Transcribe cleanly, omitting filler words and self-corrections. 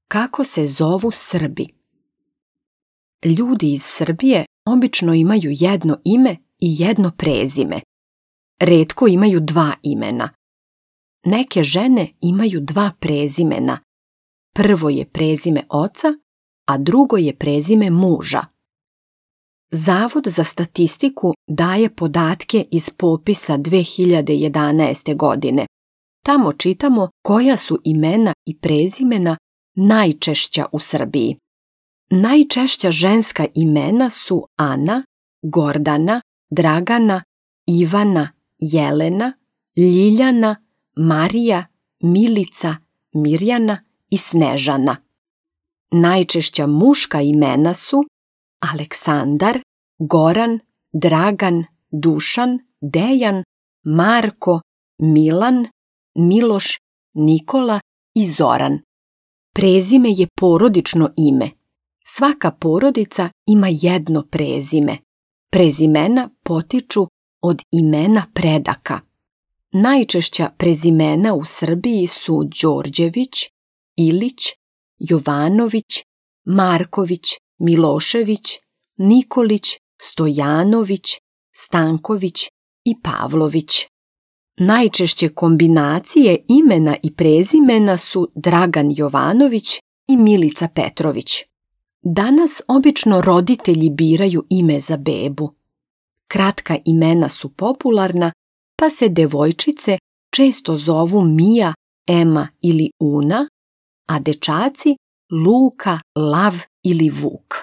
Kako se zovu Srbi? Ljudi iz Srbije obično imaju jedno ime i jedno prezime. Retko imaju dva imena. Neke žene imaju dva prezimena. Prvo je prezime oca, a drugo je prezime muža. Zavod za statistiku daje podatke iz popisa 2011. godine. Tamo čitamo koja su imena i prezimena najčešća u Srbiji. Najčešća ženska imena su Ana, Gordana, Dragana, Ivana, Jelena, Ljiljana, Marija, Milica, Mirjana i Snežana. Najčešća muška imena su Aleksandar, Goran, Dragan, Dušan, Dejan, Marko, Milan, Miloš, Nikola i Zoran. Prezime je porodično ime. Svaka porodica ima jedno prezime. Prezimena potiču od imena predaka. Najčešća prezimena u Srbiji su Đorđević, Ilić, Jovanović, Marković, Milošević, Nikolić, Stojanović, Stanković i Pavlović. Najčešće kombinacije imena i prezimena su Dragan Jovanović i Milica Petrović. Danas obično roditelji biraju ime za bebu. Kratka imena su popularna, pa se devojčice često zovu Mija, Ema ili Una, a dečaci Luka, Lav ili Vuk.